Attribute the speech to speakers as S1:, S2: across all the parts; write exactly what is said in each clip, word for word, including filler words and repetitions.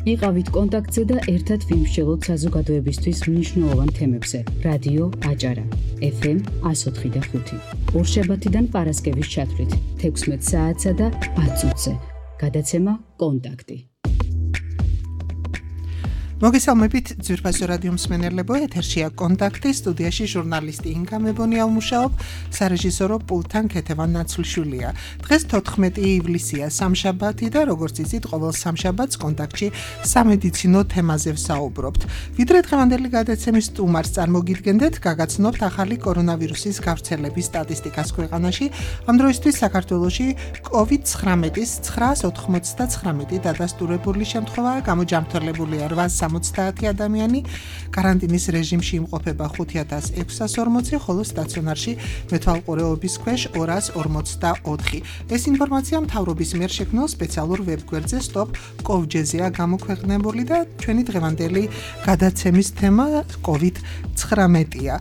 S1: იყავით კონტაქტზე და ერთად ვიმსჯელოთ საზოგადოებისთვის მნიშვნელოვან თემებზე. რადიო აჭარა, ეფ ემ εκατო ოთხი და ხუთი. ორშაბათიდან პარასკევის ჩათვლით, თექვსმეტ საათსა და ათ წუთზე. გადაცემა კონტაქტი.
S2: მოგესალმებით ძვირფასო რადიო მსმენელებო, ეთერშია კონტაქტი, სტუდიაში ჟურნალისტი ინგა მებონია ვმუშაობ, სარეჟისორო პულტთან ქეთევან ნაცვლშვილია. დღეს თოთხმეტი ივლისია, სამშაბათი და როგორც იცით, ყოველ სამშაბათს კონტაქტში სამედიცინო თემაზე ვსაუბრობთ. ვიდრე დღევანდელი გადაცემის სტუმარს წარმოგიდგენდეთ, გაგაცნობთ ახალი კორონავირუსის გავრცელების სტატისტიკას ქვეყანაში. ამ დროისთვის საქართველოში კოვიდ ცხრამეტის ცხრაას ოთხმოცდათხრამეტი დადასტურებული შემთხვევაა, გამოჯამრთელებულია რვასამოცდაათი ადამიანი, კარანტინის რეჟიმში იმყოფება ხუთი ათას ექვსას ორმოცი, ხოლო სტაციონარში მეთვალყურეობის ქვეშ ორას ორმოცდაოთხი. ეს ინფორმაცია მთავრობის მიერ შექმნილ სპეციალურ ვებგვერდზე stop kov punkt gr-ია გამოქვეყნებული და ჩვენი დღევანდელი გადაცემის თემა კოვიდ ცხრამეტია.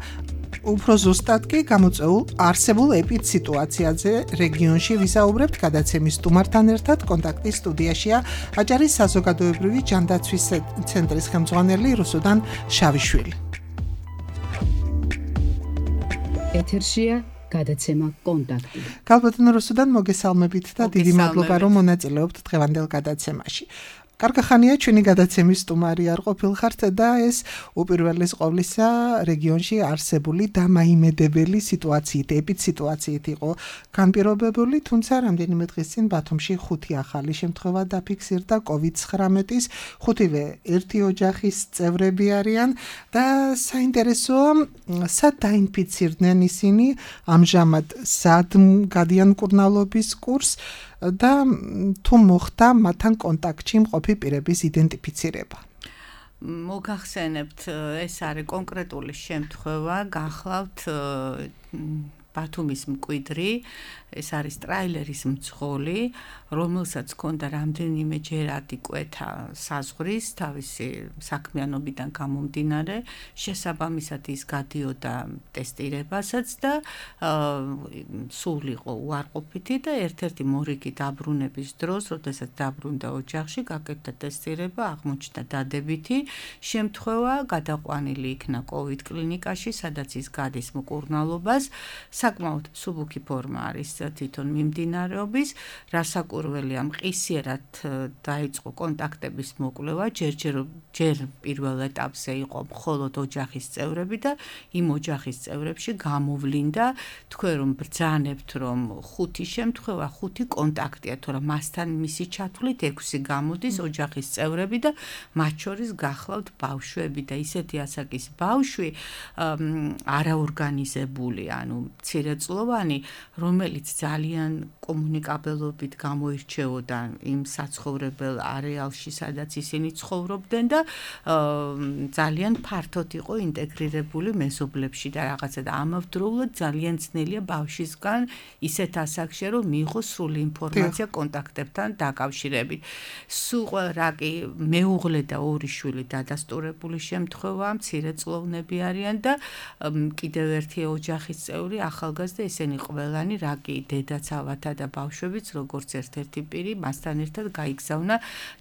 S2: უფრო ზუსტად კი გამოწვეულ არსებულ ეპიდსიტუაციაზე რეგიონში ვისაუბრებთ გადაცემის სტუმართან ერთად. კონტაქტის სტუდიაშია აჭარის საზოგადოებრივი ჯანდაცვის ცენტრის ხელმძღვანელი რუსუდან შავიშვილი.
S1: ეთერშია გადაცემა კონტაქტი.
S2: გალბატონო რუსუდან, მოგესალმებით და დიდი მადლობა რომ მონაწილეობთ დღევანდელ გადაცემაში. კარგი ხანია ჩვენი გადაცემის სტუმარი არ ყოფილხართ და ეს უპირველეს ყოვლისა რეგიონში არსებული დამაიმედებელი სიტუაციით, ეპიდსიტუაციით იყო განპირობებული, თუმცა რამდენიმე დღის წინ ბათუმში ხუთი ახალი შემთხვევა დაფიქსირდა კოვიდ ცხრამეტის, ხუთივე ერთი ოჯახის წევრები არიან და საინტერესოა, სად დაინფიცირდნენ ისინი, ამჟამად სად გადიან მკურნალობის კურსს და თუ მოხდა მათთან კონტაქტში მყოფი პირების იდენტიფიცირება.
S3: მოგახსენებთ, ეს არის კონკრეტული შემთხვევა, გახლავთ ბათუმის მკვიდრი, ეს არის ტრაილერის მძღოლი, რომელსაც ჰქონდა რამდენიმე ჯერად იკვეთა საზღვრის თავისი საქმიანობიდან გამომდინარე, შესაბამისად ის გადიოდა ტესტირებასაც და სულ იყო უარყოფითი და ერთ-ერთი მორიგი დაბრუნების დროს, როდესაც დაბრუნდა ოჯახში, გაკეთდა ტესტირება, აღმოჩნდა დადებითი შემთხვევა, გადაყვანილი იქნა კოვიდ კლინიკაში, სადაც ის გადის მკურნალობას. საკმაოდ მსუბუქი ფორმა არის თვითონ მიმდინარეობის, რასაკურველია მყისიერად დაიწყო კონტაქტების მოკვლევა, ჯერჯერ ჯერ პირველ ეტაპზე იყო მხოლოდ ოჯახის წევრები და იმ ოჯახის წევრებში გამოვლინდა, თქვენ რომ ბრძანებთ, რომ ხუთი შემთხვევა, ხუთი კონტაქტია, თორემ მასთან მისი ჩათვლით ექვსი გამოდის ოჯახის წევრები და მათ შორის გახლავთ ბავშვები და ისეთი ასაკის ბავშვი არაორგანიზებული, ანუ მცირეწლოვანი, რომელიც ძალიან კომუნიკაბელობით გამოირჩეოდა იმ საცხოვრებელ არეალში, სადაც ისინი ცხოვრობდნენ და ძალიან ფართოდ იყო ინტეგრირებული მეზობლებში და რაღაცა და ამავდროულად ძალიან ძნელია ბავშვისგან ისეთ ასაკში, რომ მიიღოს სრული ინფორმაცია კონტაქტებთან დაკავშირებით. სულ რა კი მეუღლე და ორი შვილი დადასტურებული შემთხვევა, მცირეწლოვნები არიან და კიდევ ერთი ოჯახის წევრი ახალგაზრდა, ესენი ყველანი რა კი დედაც ავათა და ბავშვებიც როგორც ერთ-ერთი პირი მასთან ერთად გაიგზავნა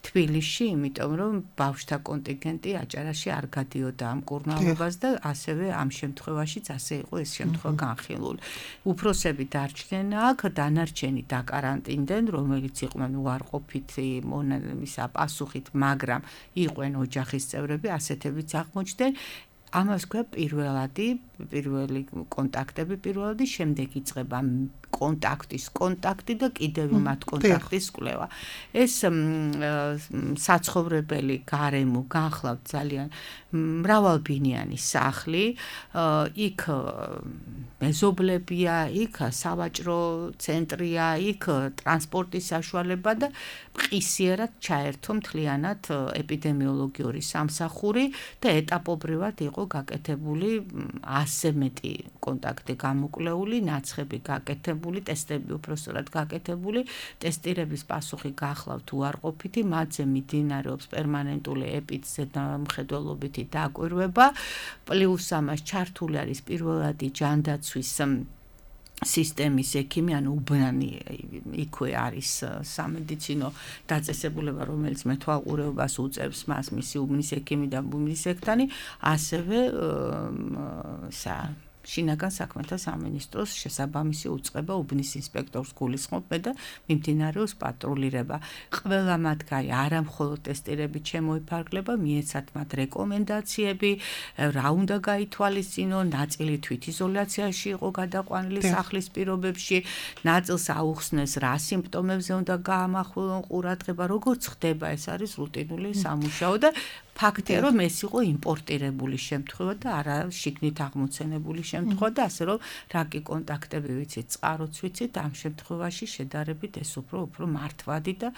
S3: თბილისში, იმიტომ რომ ბავშვთა კონტინგენტი აჭარაში არ გადიოდა ამ მკურნალობას და ასევე ამ შემთხვევაშიც ასე იყო ეს შემთხვევა განხილული. უფროსები დარჩნენ აქ, დანარჩენი დაკარანტინდნენ, რომელიც იყვნენ უარყოფითი ისა პასუხით, მაგრამ იყვნენ ოჯახის წევრები, ასეთებიც აღმოჩნდნენ. ამას ქვია პირველადი, პირველი კონტაქტები, პირველადი, შემდეგ იწყება კონტაქტის კონტაქტი და კიდევ მათ კონტაქტის კვლევა. ეს საცხოვრებელი გარემო განხლავთ ძალიან მრავალბინიანი სახლი, იქ მეზობლებია, იქ სავაჭრო ცენტრია, იქ ტრანსპორტის საშუალება და მყისიერად ჩაერთო მთლიანად ეპიდემიოლოგიური სამსახური და ეტაპობრივად იყო გაკეთებული ასზე მეტი კონტაქტი გამოკვლეული, ნაცხები გაკეთებული, ტესტები უпростоრად გაკეთებული, ტესტირების პასუხი გახლავთ უარყოფითი, მათზე მიმდინარეობს პერმანენტული ეპიდზე მხედველობითი დაკვირვება, პლუს ამას ჩართული არის პირველადი ჯანდაცვის სისტემის ექიმი, ანუ უბნანი იქვე არის სამედიცინო დაწესებულება, რომელიც მეთვალყურეობას უწევს მას, მისი უბნის ექიმი და უბნის ექთანი, ასევე სა შინაგან საქმეთა სამინისტროს შესაბამისი უწყება უბნის ინსპექტორს გულისხმობ და მიმდინარეობს პატრულირება. ყველა მათგანი არა მხოლოდ ტესტირებით შემოიფარგლება, მიეცათ მათ რეკომენდაციები, რა უნდა გაითვალისწინო, ნაწილი თვითიზოლაციაში იყო გადაყვანილი სახლის პირობებში, ნაწილს აუხსნეს რა სიმპტომებზე უნდა გაამახვილონ ყურადღება, როგორც ხდება, ეს არის რუტინული სამუშაო და ფაქტია, რომ ეს იყო იმპორტირებული შემთხვევა და არა შიგნით აღმოცენებული შემთხვევა და ასე რომ რაკი კონტაქტები ვიცით, წყაროც ვიცით, ამ შემთხვევაში შედარებით ეს უფრო უფრო მართვადი და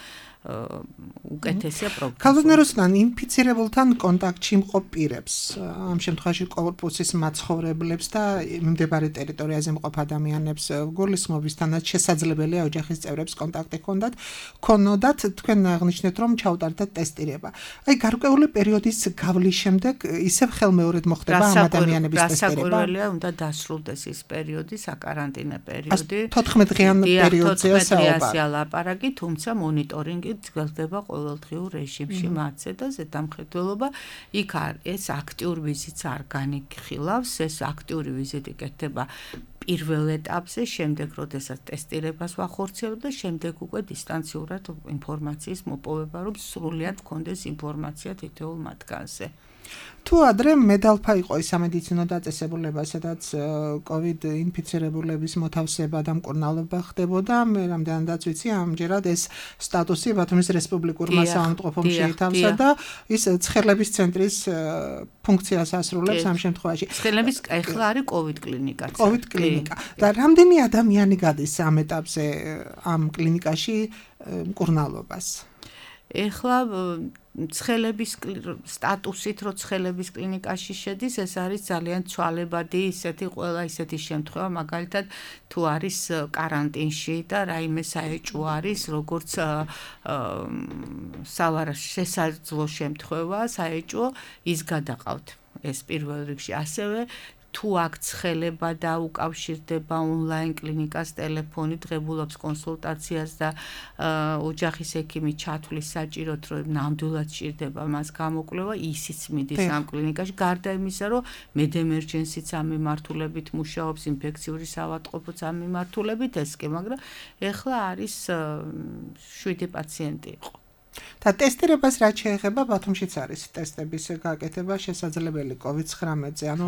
S3: უკეთესია პროგნოზა.
S2: ქალბატონოსთან ინფიცირებულთან კონტაქტში მყოფ პირებს, ამ შემთხვევაში კორპუსის მაცხოვრებლებს და მიმდებარე ტერიტორიაზე მყოფ ადამიანებს გულისხმობისთანაც შესაძლებელია ოჯახის წევრებს კონტაქტი ჰქონდათ, ქონოდათ, თქვენ აღნიშნეთ, რომ ჩაუტარდათ ტესტირება. აი გარკვეული პერიოდის გავლის შემდეგ ისევ ხელმეორედ მოხდება ამ ადამიანების ტესტირება.
S3: რასაკვირველია, უნდა დასრულდეს ის პერიოდი, საკარანტინო პერიოდი.
S2: თოთხმეტ დღიან პერიოდზეა საუბარი.
S3: ლაპარაკი, თუმცა მონიტორინგი გრძელდება ყოველდღიურ რეჟიმში მათზე და ზედამხედველობა იქ ეს აქტიურ ვიზიტს არ განიხილავს, ეს აქტიური ვიზიტი კეთდება პირველ ეტაპზე, შემდეგ როდესაც ტესტირებას ვახორციელებთ და შემდეგ უკვე დისტანციურად ინფორმაციის მოპოვება, რომ სრულად გქონდეს ინფორმაცია თითოეულ მათგანზე.
S2: თუ ადრე მედალფა იყო ის სამედიცინო დაწესებულება, სადაც კოვიდ ინფიცირებულების მოთავსება და მკურნალობა ხდებოდა, მე რამდენადაც ვიცი, ამჯერად ეს სტატუსი ბათუმის რესპუბლიკურმა საავადმყოფომ შეითავსა და ის ცხელების ცენტრის ფუნქციას ასრულებს ამ შემთხვევაში.
S3: ცხელების ეხლა არის კოვიდ კლინიკა.
S2: კოვიდ კლინიკა. და რამდენი ადამიანი გადის ამ ეტაპზე ამ კლინიკაში მკურნალობას?
S3: ეხლა ცხელების სტატუსით, რო ცხელების კლინიკაში შედის, ეს არის ძალიან ცვალებადი ისეთი ყველა ისეთი შემთხვევა, მაგალითად თუ არის კარანტინში და რაიმე საეჭვო არის, როგორც შესაძლო შემთხვევა, საეჭვო, ის გადაყავთ. ეს პირველ რიგში ასევე თუ აქ ცხელება და უკავშირდება ონლაინ კლინიკას ტელეფონით, ღებულობს კონსულტაციას და ოჯახის ექიმი ჩათვლის საჭიროდ, რომ ნამდვილად ჭირდება მას გამოკვლევა, ისიც მიდის ამ კლინიკაში, გარდა იმისა, რომ მედემერჯენსიც ამ მიმართულებით მუშაობს, ინფექციური საავადმყოფოც ამ მიმართულებით ეს კი, მაგრამ ეხლა არის შვიდი პაციენტი იყო.
S2: და ტესტირებას რაც შეეხება, ბათუმშიც არის ტესტების გაკეთება შესაძლებელი კოვიდ ცხრამეტზე, ანუ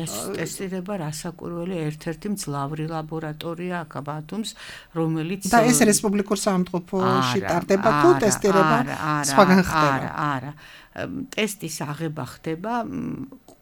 S3: ეს ტესტირება რასაკვირველი ერთ-ერთი მძლავრი ლაბორატორია აქ ბათუმს, რომელიც
S2: და ეს რესპუბლიკურ საავადმყოფოში ტარდება თუ ტესტირება სხვაგან ხდება?
S3: არა, არა. ტესტის აღება ხდება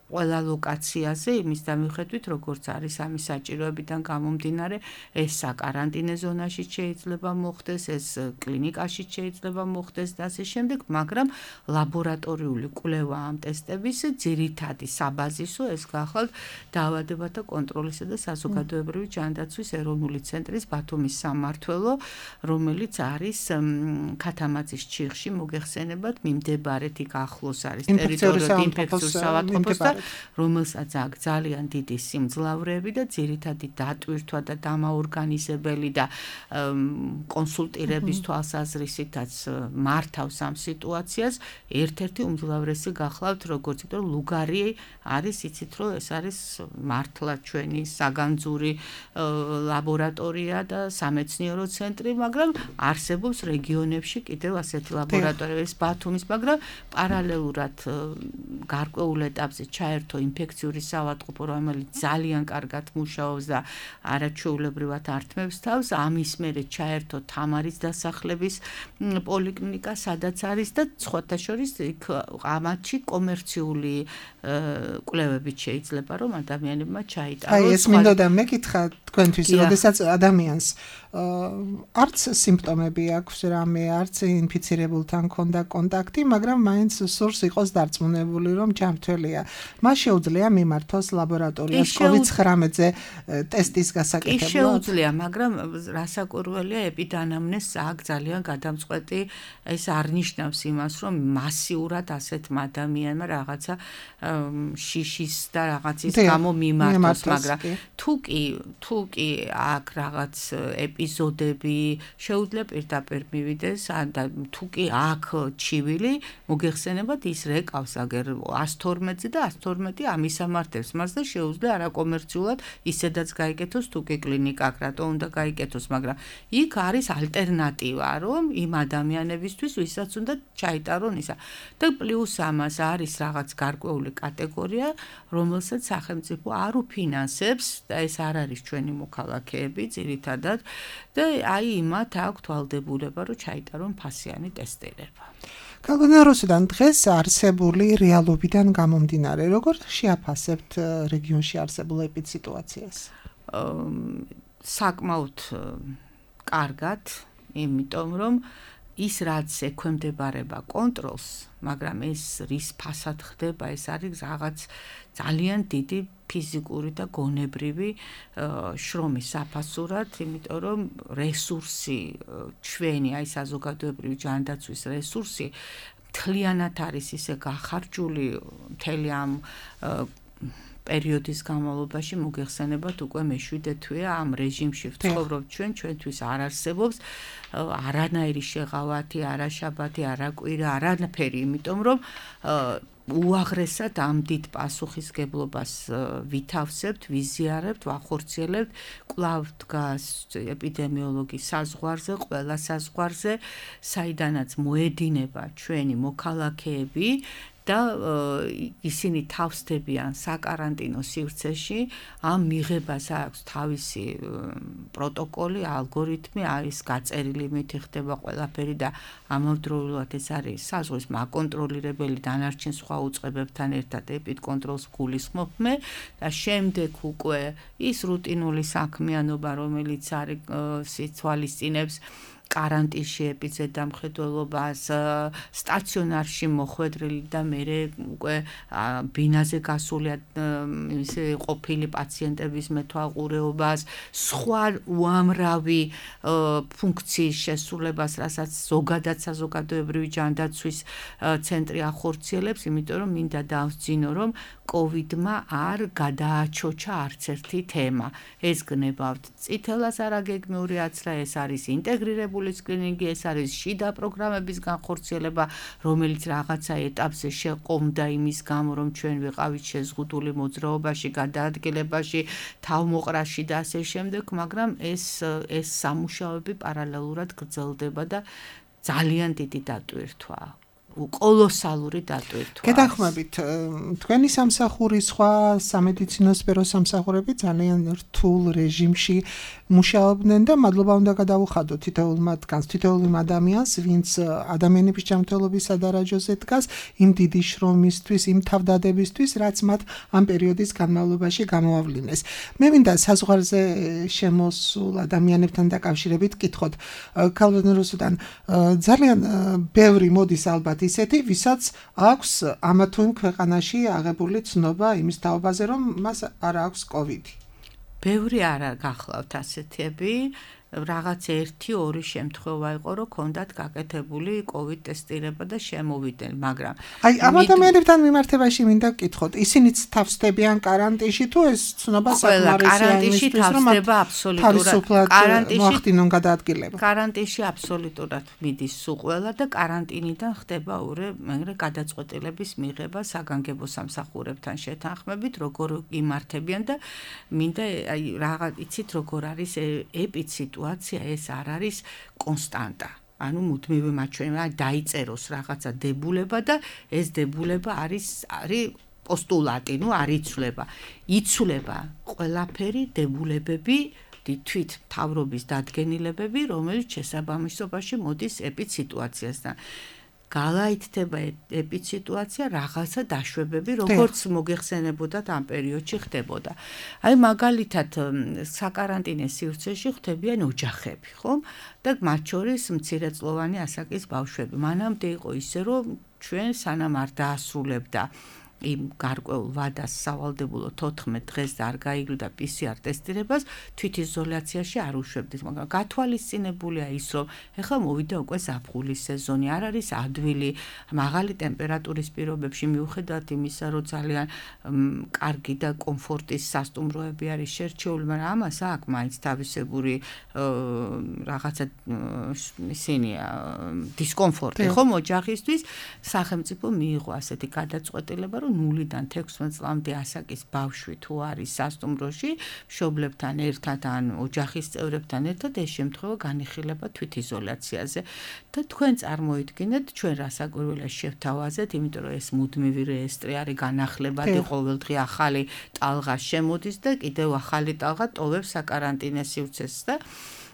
S3: ყველა ლოკაციაზე, იმის დამიხედვით, როგორც არის ამის საჭიროებიდან გამომდინარე, ეს საკარანტინე ზონაში შეიძლება მოხდეს, ეს კლინიკაში შეიძლება მოხდეს და ასე შემდეგ, მაგრამ ლაბორატორიული კვლევა ამ ტესტების ძირითადი საბაზისო ეს გახლავთ დაავადებათა კონტროლისა და საზოგადოებრივი ჯანდაცვის ეროვნული ცენტრის ბათუმის სამმართველო, რომელიც არის ქათამაძის ჩიხში მოგეხსენებათ, მიმდებარედ იქ ახლოს არის ტერიტორიული ინფექციური საავადმყოფოს და რომელსაც აქვს ძალიან დიდი სიმძლავრეები და ძირითადი დატვირთვა და დამაორგანიზებელი და კონსულტირების თვალსაზრისითაც მართავს ამ სიტუაციას, ერთ-ერთი უმძლავრესი გახლავთ, როგორც იმიტომ ლუგარი არის, იცით რომ ეს არის მართლა ჩვენი საგანძური ლაბორატორია და სამეცნიერო ცენტრი, მაგრამ არსებობს რეგიონებში კიდევ ასეთი ლაბორატორია, ეს ბათუმის, მაგრამ პარალელურად გარკვეულ ეტაპზე ჩაერთო ინფექციური საავადმყოფო, რომელიც ძალიან კარგად მუშაობს და არაჩვეულებრივად ართმევს თავს, ამის მერე ჩაერთო თამარის დასახლების პოლიკლინიკა, სადაც არის და სხვათა შორის იქ ამათში კომერციული კვლევებით შეიძლება რომ ადამიანებმა ჩაიტაროს.
S2: აი ეს მინდოდა მეკითხა თქვენთვის, როდესაც ადამიანს არც სიმპტომები აქვს რამე, არც ინფიცირებულთან ქონდა კონტაქტი, მაგრამ მაინც სურს იყოს დარწმუნებული, რომ ჯანმრთელია. მას შეუძლია მიმართოს ლაბორატორიას კოვიდ ცხრამეტზე ტესტის გასაკეთებლად?
S3: კი შეუძლია, მაგრამ რასაკვირველია, ეპიდანამნეზს აქ ძალიან გადამწყვეტი ეს არ ნიშნავს იმას, რომ მასიურად ასეთმა ადამიანმა რაღაცა შიშის და რაღაცის გამო მიმართოს, მაგრამ თუ კი თუ კი აქ რაღაც ეპიზოდები შეუძლია პირდაპირ მივიდეს და თუ კი აქ ჩივილი მოგეხსენებათ ის რეკავს აგერ ას თორმეტზე და ას თორმეტი ამისამართებს მას და შეუძლია არაკომერციულად ისედაც გაიკეთოს თუ კი კლინიკა რატო უნდა გაიკეთოს, მაგრამ იქ არის ალტერნატივა, რომ იმ ადამიანებისთვის ვისაც უნდა ჩაიტარონ ისა და პლუს ამას არის რაღაც გარკვეული კატეგორია, რომელსაც სახელმწიფო არ უფინანსებს და ეს არ არის ჩვენი მოქალაქეები ძირითადად და აი იმათ აქვს თვალდებულება, რომ ჩაიტარონ ფასიანი ტესტირება.
S2: გაგონაროსიდან დღეს არსებული რეალობიდან გამომდინარე, როგორ შეაფასებთ რეგიონში არსებულ ეპიდსიტუაციას?
S3: საკმაოდ კარგად, იმიტომ რომ ის რაც ექვემდებარება კონტროლს, მაგრამ ეს რის ფასად ხდება, ეს არის რაღაც ძალიან დიდი ფიზიკური და გონებრივი შრომის საფასურად, იმიტომ რომ რესურსი ჩვენი, აი საზოგადოებრივი ჯანდაცვის რესურსი მთლიანად არის ისე გახარჯული მთელი ამ პერიოდის განმავლობაში მოგეხსენებათ უკვე მეშვიდე თვეა ამ რეჟიმში ვცხოვრობთ ჩვენ, ჩვენთვის არ არსებობს არანაირი შეღავათი, არა შაბათი, არა კვირა, არანაირი, იმიტომ რომ უაღრესად ამ დიდ პასუხისგებლობას ვითავსებთ, ვიზიარებთ, ვახორციელებთ, კვლავ დგას ეპიდემიოლოგის საზღვარზე, ყველა საზღვარზე, საიდანაც მოედინება ჩვენი მოქალაქეები და ისინი თავსდებიან საკარანტინო სივრცეში, ამ მიღებას აქვს თავისი პროტოკოლი, ალგორითმი, არის გაწერილი, მითი ხდება ყველაფერი და ამავდროულად ეს არის საზღვრის მაკონტროლირებელი დანარჩენ სხვა უწყებებთან ერთად ეპიდკონტროლს გულისხმობ მე და შემდეგ უკვე ის რუტინული საქმიანობა, რომელიც არის სიცვალისწინებს კარანტინში ეპიდემიოლოგიას სტაციონარში მოხვედრილი და მერე უკვე ბინაზე გასული ისე ყოფილი პაციენტების მეთვალყურეობას, სხვა უამრავი ფუნქციის შესრულებას, რასაც ზოგადად საზოგადოებრივი ჯანდაცვის ცენტრი ახორციელებს, იმიტომ რომ მინდა დავსძინო, რომ კოვიდმა არ გადააჩოჩა არც ერთი თემა. ეს გნებავთ წითელას არაგეგმიური აცრა, ეს არის ინტეგრირებული სკრინინგი, ეს არის შიდა პროგრამების განხორციელება, რომელიც რაღაცა ეტაპზე შეყომდა იმის გამო, რომ ჩვენ ვიყავით შეზღუდული მოძრაობაში, გადაადგილებაში, თავმოყრაში და ასე შემდეგ, მაგრამ ეს ეს სამუშაოები პარალელურად გრძელდება და ძალიან დიდი დატვირთვაა. კოლოსალური დატვირთვა.
S2: გეთანხმებით, თქვენი სამსახური სხვა სამედიცინო სფეროს სამსახურები ძალიან რთულ რეჟიმში მუშაობდნენ და მადლობა უნდა გადავუხადოთ თითოეულ მათგანს, თითოეულ იმ ადამიანს, ვინც ადამიანების ჯანმრთელობის სადარაჯოზე დგას, იმ დიდი შრომისთვის, იმ თავდადებისთვის, რაც მათ ამ პერიოდის განმავლობაში გამოავლინეს. მე მინდა საზღვარზე შემოსულ ადამიანებთან დაკავშირებით კითხოთ. ქალბატონოსთან ძალიან ბევრი მოდის ალბათ ისეთი, ვისაც აქვს ამა თუ იმ ქვეყანაში აღებული ცნობა იმის თაობაზე, რომ მას არ აქვს კოვიდი.
S3: ბევრი არ გახლავთ ასეთები, რაღაც ერთი ორი შემთხვევა იყო, რომ ქონდათ გაკეთებული კოვიდ ტესტირება და შემოვიდნენ, მაგრამ
S2: აი ამ ადამიანებთან მიმართებაში მინდა გკითხოთ, ისინიც თავსდებიან კარანტინში თუ ეს ცნობა საკმარისია
S3: კარანტინში თავსდება აბსოლუტურად,
S2: კარანტინში მოახდინონ გადაადგილება.
S3: კარანტინში აბსოლუტურად მიდის სულ და კარანტინიდან ხდება ურე მეგრე გადაწყვეტილების მიღება საგანგებო სამსახურებთან შეთანხმებით, როგორ იმართებიან და მინდა აი რაღაც იცით როგორ არის ეპიდსიტუაცია სიტუაცია ეს არ არის კონსტანტა. ანუ მუდმივი მაჩვენება დაიწეროს რაღაცა დებულება და ეს დებულება არის არის პოსტულატი, ნუ არ იცვლება. იცვლება ყველაფერი დებულებები თვით მთავრობის დადგენილებები, რომელიც შესაბამისობაში მოდის ეპიდსიტუაციასთან. გალაითდება ეპიციტუაცია, რაღაცა დაშვებები, როგორც მოგეხსენებოდათ ამ პერიოდში ხდებოდა. აი მაგალითად საკარანტინე სივრცეში ხდებიან ოჯახები, ხო? და მათ შორის მცირეწლოვანი ასაკის ბავშვები. მანამდე იყო ისე, რომ ჩვენ სანამ არ დაასრულებდა იმ გარკვეულ ვადას სავალდებულო თოთხმეტ დღეს და არ გაიგლდა პი სი არ ტესტირებას, თვითიზოლაციაში არ უშვებდით, მაგრამ გათვალისწინებულია ის, რომ ეხლა მოვიდა უკვე ზაფხულის სეზონი, არ არის ადვილი, მაღალი ტემპერატურის პირობებში მიუხედავად იმისა, რომ ძალიან კარგი და კომფორტის სასტუმროები არის შერჩეული, მაგრამ ამას აქვს მაინც თავისებური რაღაცა ისინია დისკომფორტი, ხომ ოჯახისთვის სახელმწიფო მიიღო ასეთი გადაწყვეტილება, ნულიდან თექვსმეტ წლამდე ასაკის ბავშვი თუ არის სასტუმროში, მშობლებთან ერთად ან ოჯახის წევრებთან ერთად ეს შემთხვევა განიხილება თვითიზოლაციაზე. და თქვენ წარმოიდგინეთ, ჩვენ რასაკვირველია შევთავაზეთ, იმიტომ რომ ეს მუდმივი რეესტრი არის განახლებადი, ყოველდღე ახალი ტალღა შემოდის და კიდევ ახალი ტალღა ტოვებს საკარანტინე სივრცეს და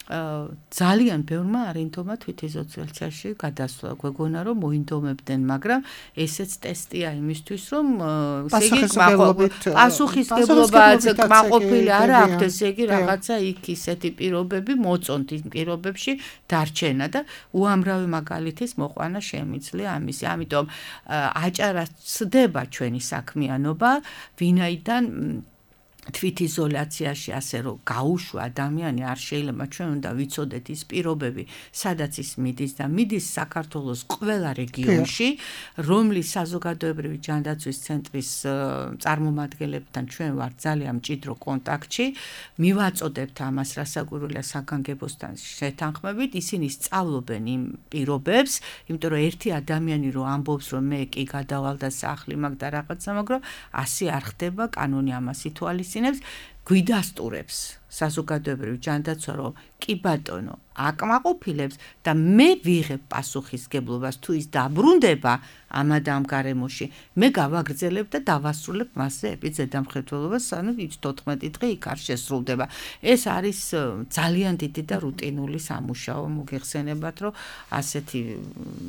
S3: ძალიან ბევრმა არინდომა თვითიზოლაციაში გადასვლა. გვეგონა რომ მოინდომებდნენ, მაგრამ ესეც ტესტია იმისთვის, რომ პასუხისგებლობაც კმაყოფილი არ აქვთ, ესე იგი რაღაცა იქ ისეთი პირობები მოწონთ იმ პირობებში დარჩენა და უამრავი მაგალითის მოყვანა შემიძლია ამისი. ამიტომ აჭარა ცდება ჩვენი საქმიანობა, ვინაიდან თვითიზოლაციაში ასე რომ გაუშვა ადამიანი არ შეიძლება, ჩვენ უნდა ვიცოდეთ ის პირობები, სადაც ის მიდის და მიდის საქართველოს ყველა რეგიონში, რომლის საზოგადოებრივი ჯანდაცვის ცენტრის წარმომადგენლებთან ჩვენ ვართ ძალიან მჭიდრო კონტაქტში, მივაწოდებთ ამას რასაკვირველია საგანგებოსთან შეთანხმებით, ისინი სწავლობენ იმ პირობებს, იმიტომ რომ ერთი ადამიანი რო ამბობს, რომ მე კი გადავალ და სახლი მაქვს და რაღაცა, მაგრამ ასე არ ხდება, კანონი ამას ითვალისწინებს, გვიდასტურებს საზოგადოებრივი ჯანდაცვა, რომ კი ბატონო, აკმაყოფილებს და მე ვიღებ პასუხისგებლობას, თუ ის დაბრუნდება ამ ამ გარემოში, მე გავაგრძელებ და დავასრულებ მასზე ეპიზედამხედველობას, ანუ ის თოთხმეტი დღე იქ არ შესრულდება. ეს არის ძალიან დიდი და რუტინული სამუშაო, მოგეხსენებათ, რომ ასეთი,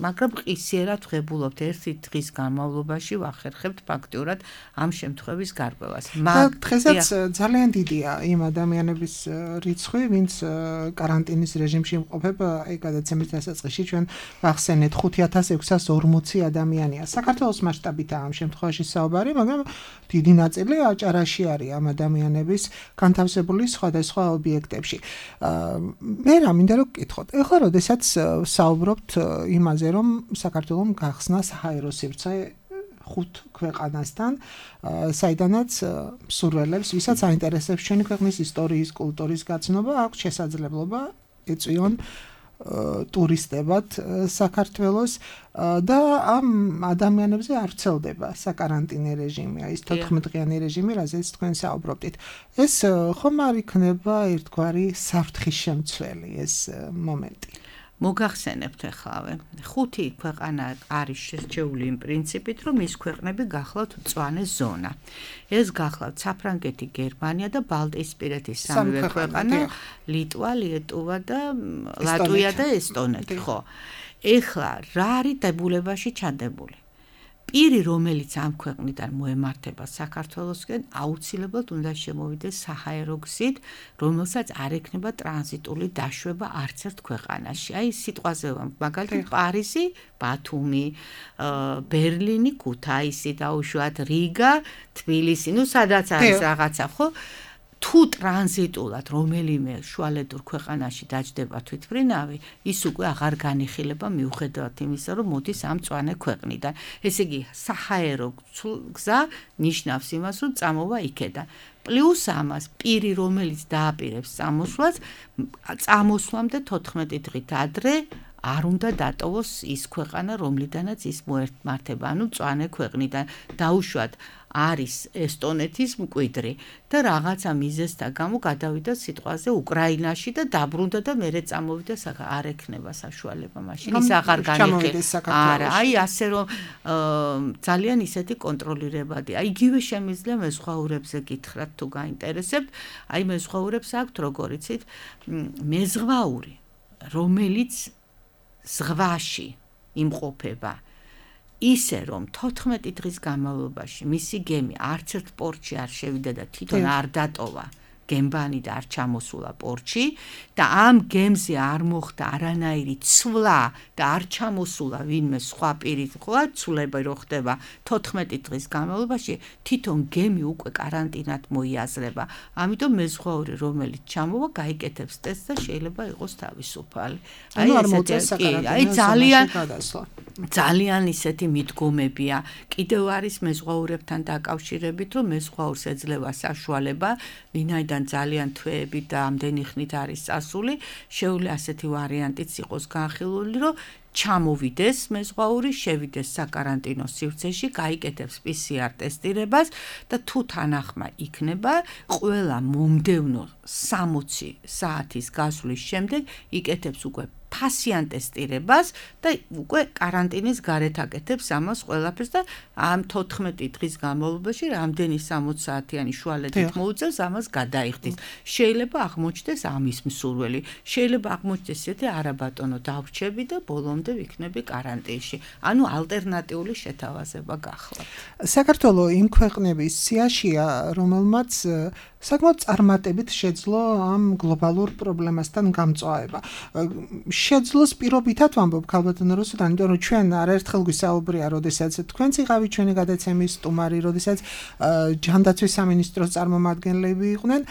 S3: მაგრამ ყისიერად ვღებულობთ ერთი დღის განმავლობაში ვახერხებთ ფაქტიურად ამ შემთხვევის გარკვევას.
S2: დღესაც ძალიან დიდია იმ ადამიანების რიცხვი, ვინც კარანტინის რეჟიმში იმყოფება, აი გადაცემის დასაწყისში ჩვენ ვახსენეთ ხუთი ათას ექვსას ორმოცი ადამიანია. საქართველოს მასშტაბით ამ შემთხვევაში საუბარი, მაგრამ დიდი ნაწილი აჭარაში არის ამ ადამიანების განთავსებული სხვადასხვა ობიექტებში. მე რა მინდა რომ გკითხოთ. ეხლა როდესაც საუბრობთ იმაზე, რომ საქართველოს გახსნა საჰაერო სივრცე ხუთ ქვეყანასთან, საიდანაც მსურველებს, ვისაც აინტერესებს ჩვენი ქვეყნის ისტორიის, კულტურის გაცნობა, აქვს შესაძლებლობა ეწვიონ ტურისტებად საქართველოს და ამ ადამიანებზე არ ვრცელდება საკარანტინე რეჟიმი, ის თოთხმეტ დღიანი რეჟიმი, რაზეც თქვენ საუბრობდით. ეს ხომ არ იქნება ერთგვარი საფრთხის შემცველი ეს მომენტი?
S3: მოგახსენებთ ეხლავე. ხუთი ქვეყანა არის შერჩეული იმ პრინციპით, რომ ის ქვეყნები გახლავთ მწვანე ზონა. ეს გახლავთ საფრანგეთი, გერმანია და ბალტიისპირეთის სამივე ქვეყანა, ლიტვა, ლიეტუვა და ლატვია და ესტონეთი, ხო. ეხლა რა არის დებულებაში ჩადებული? პირი, რომელიც ამ ქვეყნიდან მოემართება საქართველოსკენ, აუცილებლად უნდა შემოვიდეს საჰაერო გზით, რომელსაც არ ექნება ტრანზიტული დაშვება არც ერთ ქვეყანაში. აი სიტყვაზე მაგალითად პარიზი, ბათუმი, ბერლინი, ქუთაისი დაუშვათ, რიგა, თბილისი, ну სადაც არის რაღაცა, ხო? თუ ტრანზიტულად რომელიმე შუალედურ ქვეყანაში დაჯდება თვითმფრინავი, ის უკვე აღარ განიხილება მიუხედავად იმისა, რომ მოდის ამ მწვანე ქვეყნიდან. ესე იგი, საჰაერო გზა ნიშნავს იმას, რომ წამოვა იქედან. პლუს ამას, პირი, რომელიც დააპირებს წამოსვლას, წამოსვლამდე თოთხმეტი დღით ადრე არ უნდა დატოვოს ის ქვეყანა, რომლიდანაც ის მოემართება, ანუ მწვანე ქვეყნიდან. დაუშვათ არის ესტონეთის მკვიდრი და რაღაცა მიზეზთა გამო გადავიდა სიტყვაზე უკრაინაში და დაბრუნდა და მერე წამოვიდა საკა არ ექნება საშუალება მაშინ ის აღარ განიხილება. არა, აი ასე რომ ძალიან ისეთი კონტროლირებადი. აი იგივე შემიძლია მეზღვაურებზე გითხრათ თუ გაინტერესებთ. აი მეზღვაურებს აქვთ როგორ იცით მეზღვაური, რომელიც ზღვაში იმყოფება. ისე რომ თოთხმეტი დღის განმავლობაში მისი გემი არც ერთ პორტში არ შევიდა და თვითონ არ დატოვა გემბანი და არ ჩამოსულა პორტში და ამ გემზე არ მოხდა არანაირი ცვლა და არ ჩამოსულა ვინმე სხვა პირი ხო ცვლება რო ხდება თოთხმეტი დღის განმავლობაში თვითონ გემი უკვე კარანტინად მოიაზრება. ამიტომ მეზღვაური რომელიც ჩამოვა გაიკეთებს ტესტს და შეიძლება იყოს თავისუფალი.
S2: აი ესეთი
S3: აი ძალიან ძალიან ისეთი მიდგომებია. კიდევ არის მეზღვაურებთან დაკავშირებით რომ მეზღვაურს ეძლევა საშუალება ვინაიდან ძალიან თვეები და ამდენი ხნით არის წასული, შეუძლია ასეთი ვარიანტიც იყოს განხილული, რომ ჩამოვიდეს მეზღვაური, შევიდეს საკარანტინო სივრცეში, გაიკეთებს პი სი არ ტესტირებას და თუ თანახმა იქნება, ყველა მომდევნო სამოცი საათის გასვლის შემდეგ იკეთებს უკვე ფასიან ტესტირებას და უკვე კარანტინის გარეთ აკეთებს ამას ყველაფერს და ამ თოთხმეტი დღის განმავლობაში რამდენი სამოცი საათიანი შუალედით მოუწევს ამას გადაიხდის. შეიძლება აღმოჩნდეს ამის მსურველი, შეიძლება აღმოჩნდეს ისეთი არა ბატონო დავრჩები და ბოლომდე ვიქნები კარანტინში. ანუ ალტერნატიული შეთავაზება გახლავთ.
S2: საქართველო იმ ქვეყნების სიაშია, რომელმაც საკმაოდ წარმატებით შეძლო ამ გლობალურ პრობლემასთან გამწვავება. შეძლოს პირობითად ვამბობ ქალბატონო რუსუდან, იმიტომ რომ ჩვენ არაერთხელ გვისაუბრია, როდესაც თქვენც იყავით ჩვენი გადაცემის სტუმარი, როდესაც ჯანდაცვის სამინისტროს წარმომადგენლები იყვნენ,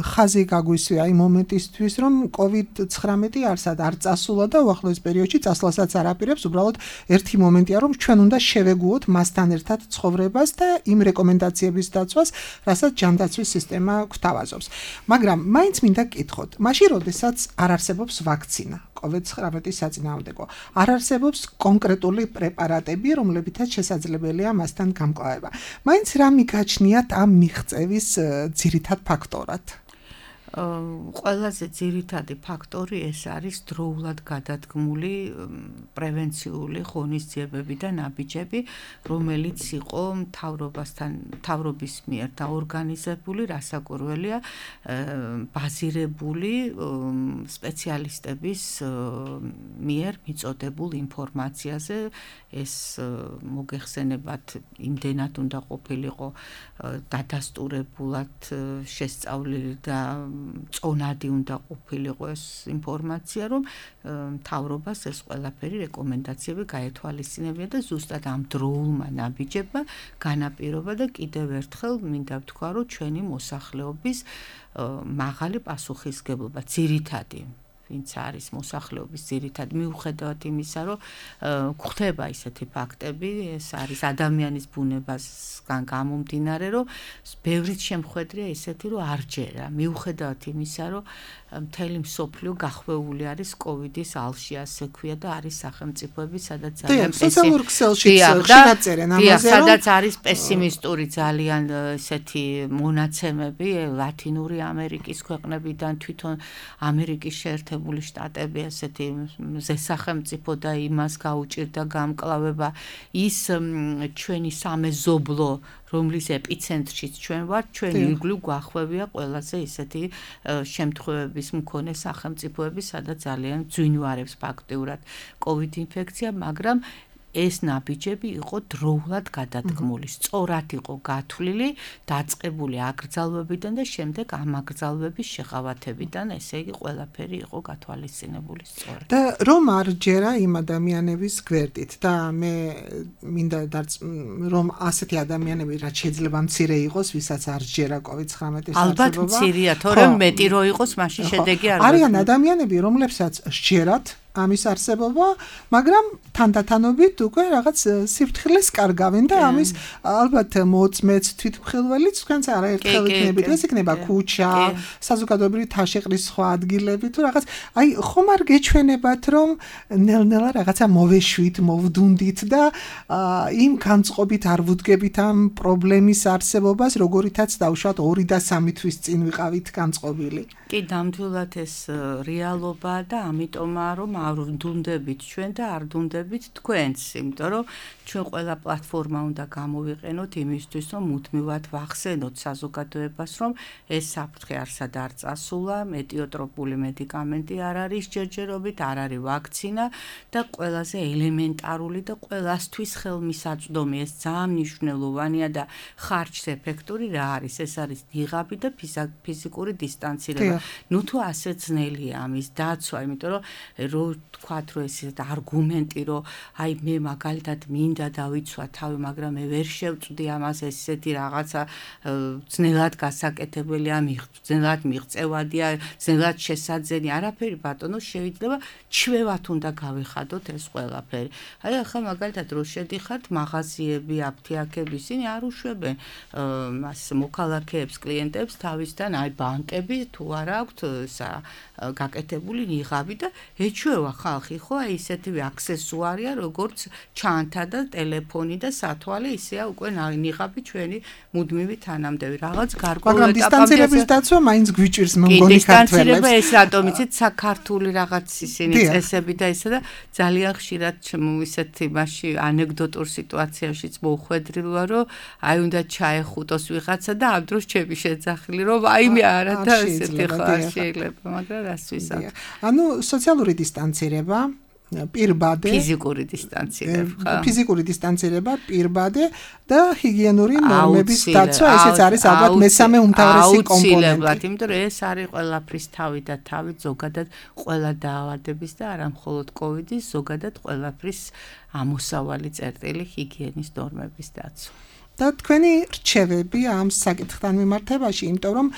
S2: ხაზი გაგვისვია იმ მომენტისთვის, რომ კოვიდ ცხრამეტი არსად არ წასულა და უახლოეს პერიოდში წასვლასაც არ აპირებს, უბრალოდ ერთი მომენტია, რომ ჩვენ უნდა შევეგუოთ მასთან ერთად ცხოვრებას და იმ რეკომენდაციების დაცვას, რასაც ჯანდაცვის სისტემა გვთავაზობს. მაგრამ მაინც მინდა გკითხოთ, მაშინ როდესაც არ არსებობს ვაქცინა კოვიდ ცხრამეტის საწინააღმდეგო, არ არსებობს კონკრეტული პრეპარატები, რომლებითაც შესაძლებელია მასთან გამკლავება. მაინც რა მიგაჩნიათ ამ მიღწევის ძირითად ფაქტორად?
S3: ყველაზე ძირითადი ფაქტორი ეს არის დროულად გადადგმული პრევენციული ღონისძიებები და ნაბიჯები, რომელიც იყო მთავრობასთან, მთავრობის მიერ დაორგანიზებული, რასაკვირველია, ბაზირებული სპეციალისტების მიერ მიწოდებულ ინფორმაციაზე. ეს მოგეხსენებათ, იმდენად უნდა ყოფილიყო დადასტურებულად შესწავლილი და წონადი უნდა ყოფილიყო ეს ინფორმაცია, რომ მთავრობას ეს ყველაფერი რეკომენდაციები გაეთვალისწინებია და ზუსტად ამ დროულმა ნაბიჯებმა განაპირობა და კიდევ ერთხელ მინდა ვთქვა, რომ ჩვენი მოსახლეობის მაღალი პასუხისგებლობა ძირითადი ვინც არის მოსახლეობის ძირითად მიუხედავად იმისა, რომ გვხდება ისეთი ფაქტები, ეს არის ადამიანის ბუნებასგან გამომდინარე, რომ ბევრიც შემხედრია ისეთი, რომ არ ჯერა, მიუხედავად იმისა, რომ მთელი მსოფლიო გახვეული არის კოვიდის ალში, ასე ქვია და არის სახელმწიფოები, სადაც ძალიან
S2: სოციალურ ქსელშიც ხშირად წერენ ამაზე, რომ
S3: სადაც არის პესიმისტური ძალიან ესეთი მონაცემები ლათინური ამერიკის ქვეყნებიდან, თვითონ ამერიკის შეერთებული შტატები ესეთი ზესახელმწიფო და იმას გაუჭირდა გამკლავება ის ჩვენი სამეზობლო რომლის ეპიცენტრშიც ჩვენ ვართ, ჩვენ ირგვლივ გვახვევია ყველაზე ისეთი შემთხვევების მქონე სახელმწიფოები, სადაც ძალიან ძვინვარებს ფაქტიურად კოვიდ ინფექცია, მაგრამ ეს ნაბიჯები იყო დროულად გადადგმული, სწორად იყო გათვლილი, დაწყებული აკრძალვებიდან და შემდეგ ამ აკრძალვების შეღავათებიდან, ესე იგი ყველაფერი იყო გათვალისწინებული სწორად.
S2: და რომ არ ჯერა იმ ადამიანების გვერდით და მე მინდა რომ ასეთი ადამიანები რაც შეიძლება მცირე იყოს, ვისაც არ ჯერა კოვიდ ცხრამეტის არსებობა.
S3: ალბათ მცირეა, თორემ მეტი რო იყოს, მაშინ შედეგი არ
S2: არიან ადამიანები, რომლებსაც სჯერათ ამის არსებობა, მაგრამ თანდათანობით უკვე რაღაც სიფრთხილეს კარგავენ და ამის ალბათ მოწმეც თვითმხილველიც თქვენც არაერთხელ იქნებით, ეს იქნება ქუჩა, საზოგადოებრივი თაშეყრის სხვა ადგილები თუ რაღაც, აი ხომ არ გეჩვენებათ, რომ ნელ-ნელა რაღაცა მოვეშვით, მოვდუნდით და იმ განწყობით არ ვუდგებით ამ პრობლემის არსებობას, როგორითაც დავუშვათ ორი და სამი თვის წინ ვიყავით განწყობილი.
S3: კი, ნამდვილად ეს რეალობაა და ამიტომაა, რომ არ ვდუნდებით ჩვენ და არ დუნდებით თქვენს, იმიტომ რომ ჩვენ ყველა პლატფორმა უნდა გამოვიყენოთ იმისთვის, რომ მუდმივად ვახსენოთ საზოგადოებას, რომ ეს საფრთხე არსად არ წასულა, მეტიოტროპული მედიკამენტი არ არის ჯერჯერობით, არ არის ვაქცინა და ყველაზე ელემენტარული და ყველასთვის ხელმისაწვდომი, ეს ძალიან მნიშვნელოვანია და ხარჯს ეფექტური რა არის? ეს არის ნიღაბი და ფიზიკური დისტანცირება. ნუ თუ ასე ძნელია ამის დაცვა, იმიტომ რომ რო თქვათ რომ ეს არგუმენტი რომ აი მე მაგალითად მინდა დავიცვა თავი, მაგრამ მე ვერ შევწვდი ამას, ესეთი რაღაცა ძნელად გასაკეთებელია, ძნელად მიღწევადია, ძნელად შესაძენი, არაფერი ბატონო, შეიძლება ჩვევათ უნდა გავიხადოთ ეს ყველაფერი. აი ახლა მაგალითად რო შედიხართ მაღაზიები, აფთიაქები, ისინი არ უშვებენ მას მოქალაქეებს, კლიენტებს თავისთან, აი ბანკები თუ არ აქვთ გაკეთებული ნიღაბი და ეჩვევა ხალხი, ხო, აი ისეთივე აქსესუარია, როგორც ჩანთა და ტელეფონი და სათვალე, ისეა უკვე ნიღაბი ჩვენი მუდმივი თანამდები. რაღაც გარკვეულ
S2: ეტაპამდე დისტანცირების დაცვა მაინც გვიჭირს მოგონი ქართველებს.
S3: დისტანცირება ეს რატომ იცით საქართული რაღაც ისინი წესები და ისე და ძალიან ხშირად ისეთი მასში ანეკდოტურ სიტუაციაშიც მოუხვედრილი ვარ, რომ აი უნდა ჩაეხუტოს ვიღაცა და ამ დროს ჩემი შეძახილი, რომ აი მე არა და ესეთი ხარ შეიძლება, მაგრამ რას ვისაუბრებ.
S2: ანუ სოციალური დისტანცირება, პირბადე,
S3: ფიზიკური დისტანცირება,
S2: ფიზიკური დისტანცირება, პირბადე და ჰიგიენური ნორმების დაცვა, ესეც არის ალბათ მესამე უმთავრესი კომპონენტი.
S3: იმიტომ რომ ეს არის ყველაფრის თავი და თავი ზოგადად ყველა დაავადების და არა მხოლოდ კოვიდის, ზოგადად ყველაფრის ამოსავალი წერტილი ჰიგიენის ნორმების დაცვა.
S2: და თქვენი რჩევები ამ საკითხთან მიმართებაში, იმიტომ რომ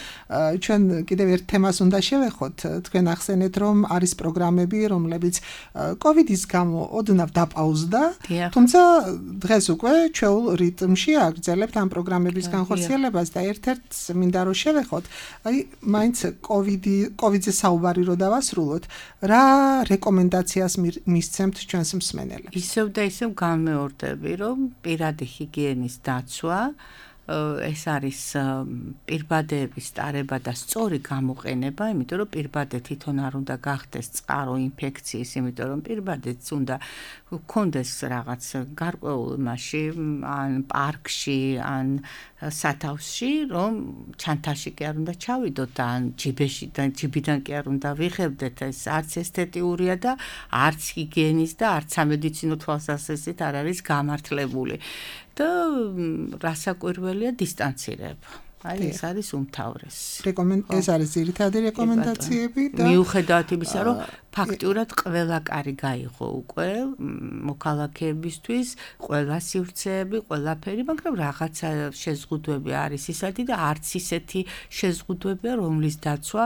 S2: ჩვენ კიდევ ერთ თემას უნდა შევეხოთ, თქვენ ახსენეთ, რომ არის პროგრამები, რომლებიც კოვიდის გამო ოდნავ დაპაუზდა, თუმცა დღეს უკვე ჩვეულ რიტმში აგრძელებთ ამ პროგრამების განხორციელებას და ერთ-ერთს მინდა რომ შევეხოთ, აი მაინც კოვიდი, კოვიდზე საუბარი რო დავასრულოთ, რა რეკომენდაციას მისცემთ ჩვენს მსმენელებს?
S3: ისევ და ისევ განმეორდები, რომ პირადი ჰიგიენის და ეს არის პირბადეების ტარება და სწორი გამოყენება, იმიტომ რომ პირბადე თვითონ არ უნდა გახდეს წყარო ინფექციის, იმიტომ რომ პირბადეც უნდა გქონდეს რაღაც გარკვეულ მასში, ან პარკში, ან სათავსში, რომ ჩანთაში კი არ უნდა ჩავიდოთ და ან ჯიბეში და ჯიბიდან კი არ უნდა ვიღებდეთ, ეს არც ესთეტიურია და არც ჰიგიენის და არც სამედიცინო თვალსაზრისით არ არის გამართლებული. და რასაკვირველია დისტანცირება. აი ეს არის უმთავრესი.
S2: ეს არის ძირითადი რეკომენდაციები და
S3: მიუხედავად იმისა, რომ ფაქტურად ყველა კარი გაიღო უკვე მოქალაქეებისთვის, ყველა სივრცეები, ყველაფერი, მაგრამ რაღაცა შეზღუდვები არის ისეთი და არც ისეთი შეზღუდვებია, რომლის დაცვა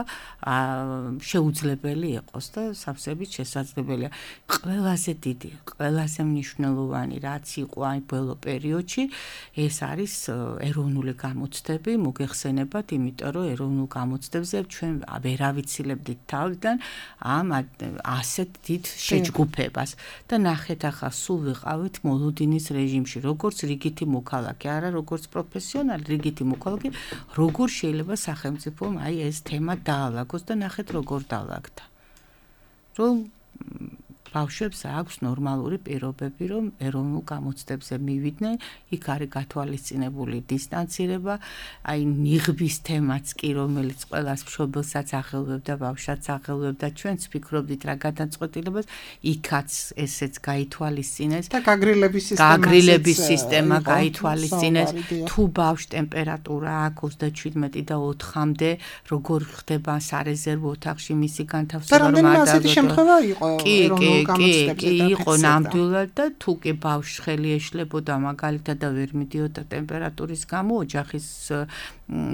S3: შეუძლებელი იყოს და სავსებით შესაძლებელია. ყველაზე დიდი, ყველაზე მნიშვნელოვანი რაც იყო აი ბოლო პერიოდში, ეს არის ეროვნული გამოცდები, მოგეხსენებათ, იმიტომ რომ ეროვნულ გამოცდებზე ჩვენ ვერ ავიცილებდით თავიდან ამ ასეთ დიდ შეჯგუფებას და ნახეთ ახლა სულ ვიყავით მოლოდინის რეჟიმში, როგორც რიგითი მოქალაქე, არა როგორც პროფესიონალი, რიგითი მოქალაქე, როგორ შეიძლება სახელმწიფომ აი ეს თემა დაალაგოს და ნახეთ როგორ დაალაგდა. რომ ბავშვებს აქვს ნორმალური პირობები, რომ ეროვნულ გამოცდებზე მივიდნენ, იქ არის გათვალისწინებული დისტანცირება, აი ნიღბის თემაც კი, რომელიც ყველას მშობელსაც აღელვებდა, ბავშვსაც აღელვებდა, ჩვენც ვფიქრობდით რა გადაწყვეტილებას, იქაც ესეც გაითვალისწინეს
S2: და გაგრილების სისტემა
S3: გაგრილების სისტემა გაითვალისწინეს, თუ ბავშვ ტემპერატურა აქვს ოცდაჩვიდმეტი და ოთხამდე, როგორ ხდება სარეზერვო ოთახში მისი განთავსება,
S2: რომ ადამიანს ასეთი შემთხვევა იყო ეროვნულ
S3: კი, კი, იყო ნამდვილად და თუ კი ბავშვი ხელი ეშლებოდა მაგალითად და ვერ მიდიოდა ტემპერატურის გამო ოჯახის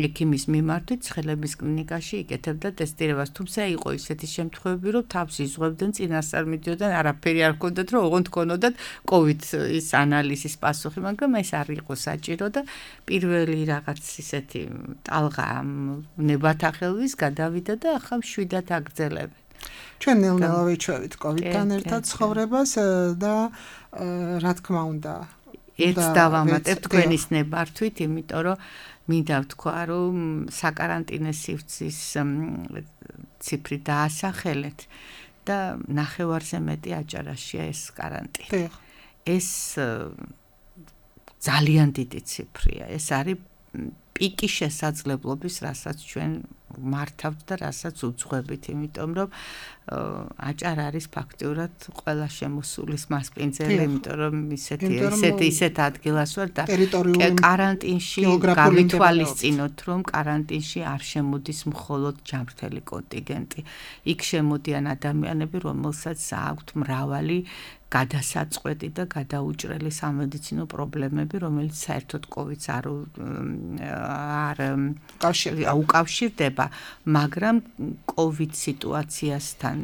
S3: ექიმის მიმართვით ცხელების კლინიკაში იკეთებდა ტესტირებას, თუმცა იყო ისეთი შემთხვევები, რომ თავს იზღვევდნენ, წინასწარ მიდიოდნენ, არაფერი არ ჰქონდათ, რომ ოღონდ ჰქონოდათ კოვიდ ის ანალიზის პასუხი, მაგრამ ეს არ იყო საჭირო და პირველი რაღაც ისეთი ტალღა ნებათახელვის გადავიდა და ახლა მშვიდად აგრძელებენ.
S2: ჩვენ ნელ-ნელა ვიჩვევით კოვიდთან ერთად ცხოვრებას და რა თქმა უნდა
S3: ერთს დავამატებ თქვენის ნებართვით, იმიტომ რომ მინდა ვთქვა, რომ საკარანტინე სივრცის ციფრი დაასახელეთ და ნახევარზე მეტი აჭარაშია ეს каранტინი. ეს ძალიან დიდი ციფრია. ეს არის პიკი შესაძლებლობის, რასაც ჩვენ მართავთ და რასაც უძღვებით, იმიტომ რომ აჭარა არის ფაქტიურად ყველა შემოსულის მასპინძელი, იმიტომ რომ ისეთი ისეთი ისეთ ადგილას ვარ და каранტინში გავითვალისწინოთ, რომ каранტინში არ შემოდის მხოლოდ ჯანმრთელი კონტინგენტი. იქ შემოდიან ადამიანები, რომელსაც აქვთ მრავალი გადასაწყვეტი და გადაუჭრელი სამედიცინო პრობლემები, რომელიც საერთოდ კოვიდს არ არ უკავშირდება, მაგრამ კოვიდ სიტუაციასთან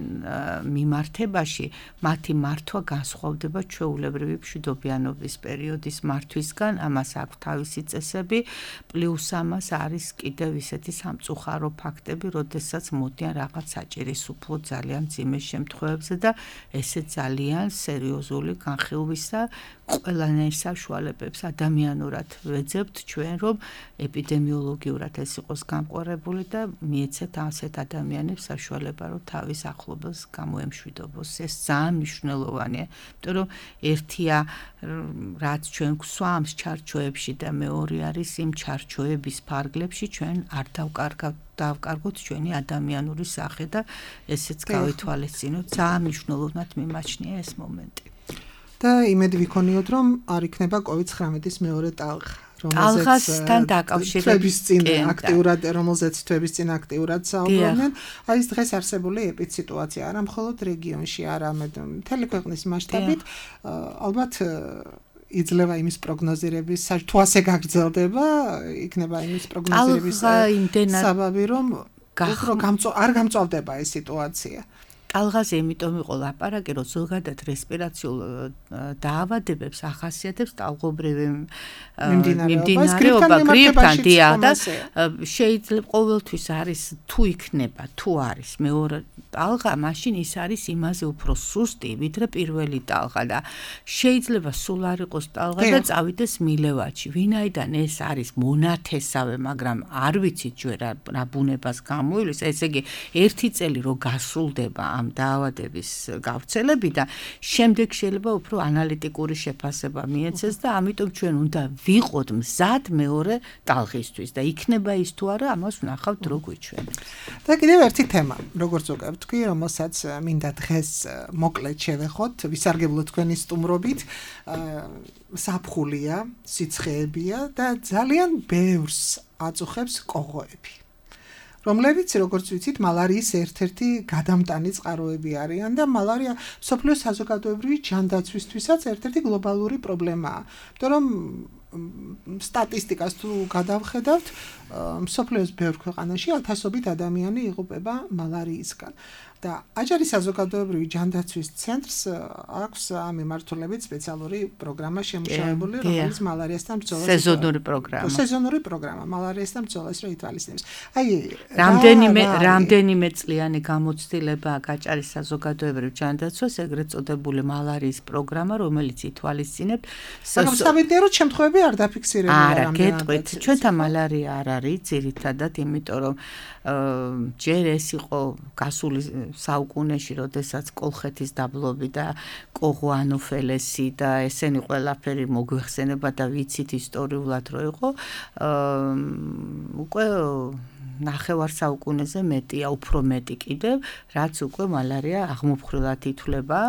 S3: მიმართებაში მათი მართვა განსხვავდება ჩვეულებრივი მშვიდობიანობის პერიოდის მართვისგან, ამას აქვს თავისი წესები, პლუს ამას არის კიდევ ისეთი სამწუხარო ფაქტები, როდესაც მოდიან რაღაც საჭირის უფლო ძალიან მძიმე შემთხვევებზე და ესე ძალიან სერიოზული განხილვის და ყველანაირ საშუალებებს ადამიანურად ვეძებთ ჩვენ, რომ ეპიდემიოლოგიურად ეს იყოს გამყარებული და მიეცეთ ასეთ ადამიანებს საშუალება, რომ თავის ახლობელს გამოემშვიდობოს. ეს ძალიან მნიშვნელოვანია, იმიტომ რომ ერთია რაც ჩვენ გვსვამს ჩარჩოებში და მეორე არის იმ ჩარჩოების ფარგლებში ჩვენ არ დავკარგავთ დავკარგოთ ჩვენი ადამიანური სახე და ესეც გავითვალისწინოთ. ძალიან მნიშვნელოვნად მიმაჩნია ეს მომენტი.
S2: და იმედი ვიქონიოთ, რომ არ იქნება კოვიდ ცხრამეტის მეორე ტალღა,
S3: რომელზეც
S2: თვების წინ აქტიურად, რომელზეც თვების წინ აქტიურად საუბრობდნენ. აი ეს დღეს არსებული ეპიდსიტუაცია არა მხოლოდ რეგიონში, არამედ მთელი ქვეყნის მასშტაბით, ალბათ იძლევა იმის პროგნოზირების, თუ ასე გაგრძელდება, იქნება იმის პროგნოზირების საბაბი, რომ არ გამწვავდება ეს სიტუაცია.
S3: ტალღაზე იმიტომ იყო ლაპარაკი, რომ ზოგადად რესპირაციულ დაავადებებს ახასიათებს ტალღობრივი მიმდინარეობა გრიპთან და შეიძლება ყოველთვის არის თუ იქნება, თუ არის მეორე ტალღა, მაშინ ის არის იმაზე უფრო სუსტი, ვიდრე პირველი ტალღა და შეიძლება სულ არ იყოს ტალღა და წავიდეს მილევაჩი. ვინაიდან ეს არის მონათესავე, მაგრამ არ ვიცით ჯერ რა ბუნებას გამოივლის, ესე იგი ერთი წელი რო გასრულდება ამ დაავადების გავრცელებიდან, შემდეგ შეიძლება უფრო ანალიტიკური შეფასება მიეცეს და ამიტომ ჩვენ უნდა ვიყოთ მზად მეორე ტალღისთვის და იქნება ის თუ არა, ამას ვნახავთ რო გვიჩვენებს.
S2: და კიდევ ერთი თემა, როგორც უკვე ვთქვი, რომელსაც მინდა დღეს მოკლედ შევეხოთ, ვისარგებლოთ თქვენი სტუმრობით, საფხულია, სიცხეებია და ძალიან ბევრს აწუხებს კოღოები. რომლებიც, როგორც ვიცით, მალარიის ერთ-ერთი გადამტანი წყაროები არიან და მალარია მსოფლიოს საზოგადოებრივი ჯანდაცვისთვისაც ერთ-ერთი გლობალური პრობლემაა. იმიტომ რომ სტატისტიკას თუ გადავხედავთ, მსოფლიოს ბევრ ქვეყანაში ათასობით ადამიანი იღუპება მალარიისგან. და აჭარის საზოგადოებრივი ჯანდაცვის ცენტრს აქვს ამ მიმართულებით სპეციალური პროგრამა შემუშავებული, რომელიც მალარიასთან ბრძოლას
S3: სეზონური პროგრამა.
S2: სეზონური პროგრამა მალარიასთან ბრძოლას რო ითვალისწინებს. აი,
S3: რამდენიმე რამდენიმე წლიანი გამოცდილება აჭარის საზოგადოებრივ ჯანდაცვას, ეგრეთ წოდებული მალარიის პროგრამა, რომელიც ითვალისწინებს
S2: სამედიცინო შემთხვევები არ დაფიქსირებია
S3: არა, გეტყვით, ჩვენთან მალარია არ არის ძირითადად, იმიტომ რომ ჯერ ეს იყო გასული საუკუნეში, როდესაც კოლხეთის დაბლობი და კოღო ანოფელესი და ესენი ყველაფერი მოგვეხსენება და ვიცით ისტორიულად რო იყო, უკვე ნახევარ საუკუნეზე მეტია, უფრო მეტი კიდევ, რაც უკვე მალარია აღმოფხრილად ითვლება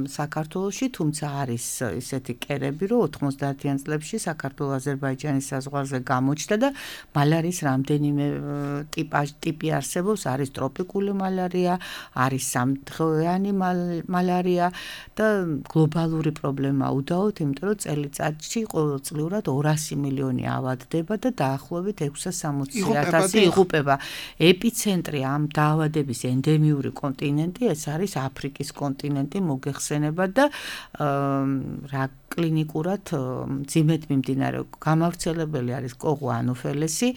S3: საქართველოში, თუმცა არის ისეთი კერები, რომ ოთხმოცდაათიან წლებში საქართველო-აზერბაიჯანის საზღვარზე გამოჩნდა და მალარიის რამდენიმე ტიპი არსებობს, არის ტროპიკული მალარია, არის სამდღიანი მალარია და გლობალური პრობლემა უდაოდ, იმიტომ რომ წელიწადში ყოველწლიურად ორასი მილიონი ავადდება და დაახლოებით ექვსსა სამოცი ათასი იღუპება. ეპიცენტრი ამ დაავადების ენდემიური კონტინენტი, ეს არის აფრიკის კონტინენტი, მოგეხსენება და რა კლინიკურად მძიმედ მიმდინარე გამავრცელებელი არის კოღო ანოფელესი.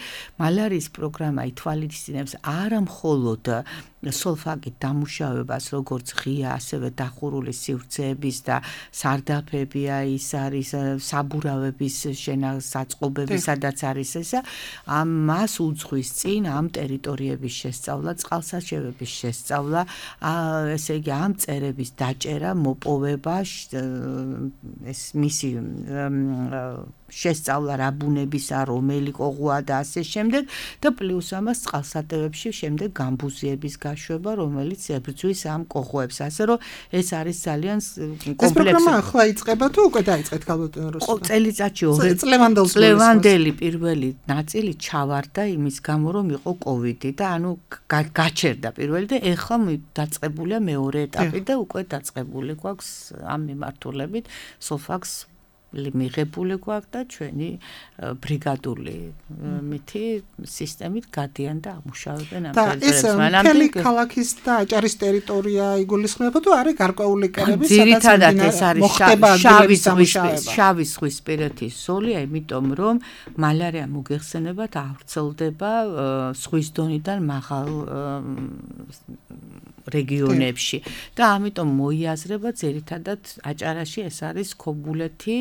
S3: მალარიის პროგრამა ითვალისწინებს არა მხოლოდ სოლფაგით დამუშავებას, როგორც ღია, ასევე დახურული სივრცეების და სარდაფებია, ის არის საბურავების შენასაწყობები, სადაც არის ესა, ამ მას უძღვის წინ ამ ტერიტორიების შესწავლა, წყალსარჩევების შესწავლა, ესე იგი ამ წერების დაჭერა, მოპოვება, ეს მისი შესწავლა რა ბუნებისა, რომელი ყოღუა და ასე შემდეგ და პლუს ამას წყალსატევებში შემდეგ გამბუზიების გაშვება, რომელიც ებრძვის ამ ყოღუებს. ასე რომ ეს არის ძალიან კომპლექსური.
S2: ეს პროგრამა ახლა იწყება თუ უკვე დაიწყეთ ქალბატონო რუსულა?
S3: წელიწადში ორი წლევანდელი პირველი ნაწილი ჩავარდა იმის გამო, რომ იყო კოვიდი და ანუ გაჩერდა პირველი და ეხლა დაწყებულია მეორე ეტაპი და უკვე დაწყებული გვაქვს ამ მიმართულებით სოლფაგს მიღებული გვაქვს და ჩვენი ბრიგადული მითი სისტემით გადიან და ამუშავებენ ამ
S2: ტერიტორიებს. და ეს მთელი ქალაქის და აჭარის ტერიტორია იგულისხმება თუ არის გარკვეული კერები,
S3: ძირითადად ეს არის შავი ზღვისპირეთის ზოლია, იმიტომ რომ მალარია მოგეხსენებათ ავრცელდება ზღვის დონიდან მაღალ რეგიონებში და ამიტომ მოიაზრება ძირითადად აჭარაში ეს არის ქობულეთი,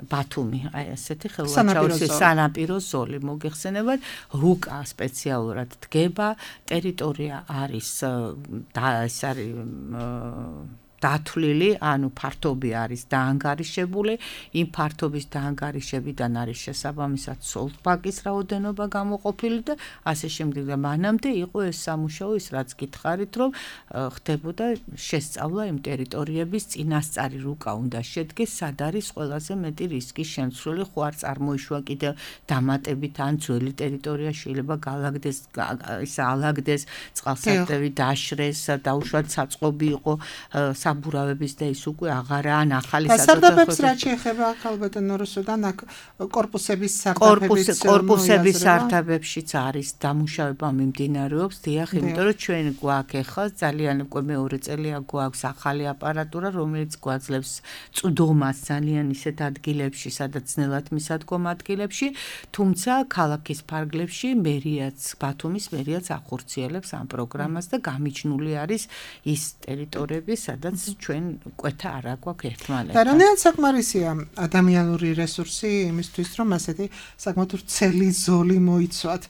S3: ბათუმი, აი ესეთი ხელვაჩაურის სანაპირო ზოლი მოგეხსენებათ, რუკა სპეციალურად დგება, ტერიტორია არის და ეს არის დათვლილი, ანუ ფართობი არის დაანგარიშებული, იმ ფართობის დაანგარიშებიდან არის შესაბამისად სოლფაგის რაოდენობა გამოყოფილი და ასე შემდეგ და მანამდე იყო ეს სამუშაო ის რაც გითხარით, რომ ხდებოდა შესწავლა იმ ტერიტორიების წინასწარი რუკა უნდა შედგეს, სად არის ყველაზე მეტი რისკის შემცვლელი, ხო არ წარმოიშვა კიდევ დამატებით ან ძველი ტერიტორია შეიძლება გალაგდეს, ისა ალაგდეს, წყალსატევი დაშრეს, დაუშვათ საწყობი იყო საბურავების და ის უკვე აღარა ან ახალი
S2: სარდაფებს რაც შეეხება ქალბატონო რუსუდან კორპუსების სარდაფების
S3: კორპუსების სარდაფებშიც არის დამუშავება მიმდინარეობს, დიახ, იმიტომ რომ ჩვენ გვაქვს ახლა ძალიან უკვე მეორე წელია გვაქვს ახალი აპარატურა, რომელიც გვაძლევს წვდომას ძალიან ისეთ ადგილებში, სადაც ძნელად მისადგომ ადგილებში, თუმცა ქალაქის ფარგლებში მერიაც, ბათუმის მერიაც ახორციელებს ამ პროგრამას და გამიჯნული არის ის ტერიტორიები, სადაც ჩვენ კვეთა არ აქვს ერთმანეთთან.
S2: და რანაირად საკმარისია ადამიანური რესურსი იმისთვის, რომ ასეთი საკმაოდ ვრცელი ზოლი მოიცვათ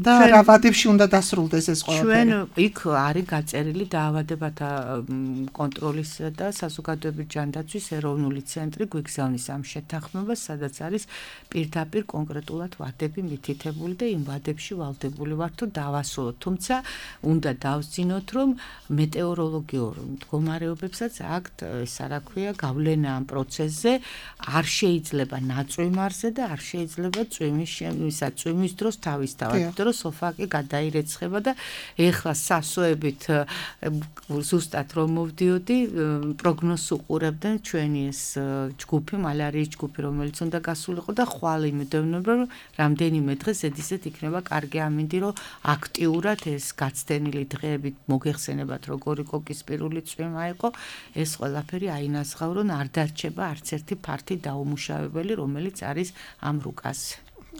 S2: და რა ვადებში უნდა დასრულდეს ეს ყველაფერი?
S3: ჩვენ იქ არის გაწერილი დაავადებათა კონტროლის და საზოგადოებრივი ჯანდაცვის ეროვნული ცენტრი გვიგზავნის ამ შეთანხმებას, სადაც არის პირდაპირ კონკრეტულად ვადები მითითებული და იმ ვადებში ვალდებული ვართ თუ დავასრულოთ. თუმცა უნდა დავსწინოთ, რომ მეტეოროლოგიურ მდგომარეობებსაც აქვთ ეს რა ქვია გავლენა ამ პროცესზე, არ შეიძლება ნაწვიმარზე და არ შეიძლება წვიმის ისა წვიმის დროს თავისთავად, იმიტომ რომ სოლფაგი გადაირეცხება და ეხლა სასოებით ზუსტად რომ მოვდიოდი, პროგნოზს უყურებდნენ ჩვენი ეს ჯგუფი, მალარიის ჯგუფი, რომელიც უნდა გასულიყო და ხვალ იმედოვნებ, რომ რამდენიმე დღე ზედიზედ იქნება კარგი ამინდი, რომ აქტიურად ეს გაცდენილი დღეები მოგეხსენებათ, როგორი კოკისპირული წვიმა იყო, ეს ყველაფერი აინაზღავრონ, არ დარჩება არც ერთი ფართი დაუმუშავებელი, რომელიც არის ამ რუკაზე.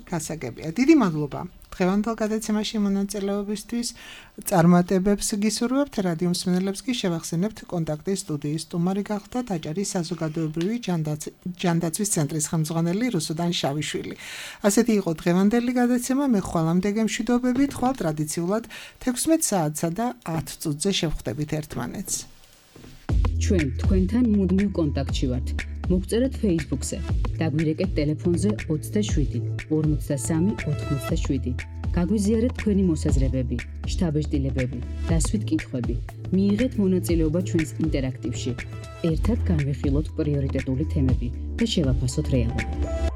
S2: გასაგებია. დიდი მადლობა. დღევანდელ გადაცემაში მონაწილეობისთვის წარმატებებს გისურვებთ, რადიო მსმენელებს კი შევახსენებთ კონტაქტის სტუდიის სტუმარი გახლდათ აჭარის საზოგადოებრივი ჯანდაცვის ცენტრის ხელმძღვანელი რუსუდან შავიშვილი. ასეთი იყო დღევანდელი გადაცემა, მე ხვალამდე გემშვიდობებით, ხვალ ტრადიციულად თექვსმეტ საათსა და ათ წუთზე შევხვდებით ერთმანეთს.
S1: ჩვენ თქვენთან მუდმივ კონტაქტში ვართ. მოგწერეთ Facebook-ზე, დაგვირეკეთ ტელეფონზე ოცდაშვიდი ორმოცდასამი ოთხმოცდაშვიდი. გაგვიზიარეთ თქვენი მოსაზრებები, შთაბეჭდილებები, დასვით კითხვები. მიიღეთ მონაწილეობა ჩვენს ინტერაქტივში. ერთად განვიხილოთ პრიორიტეტული თემები და შევაფასოთ რეალობა.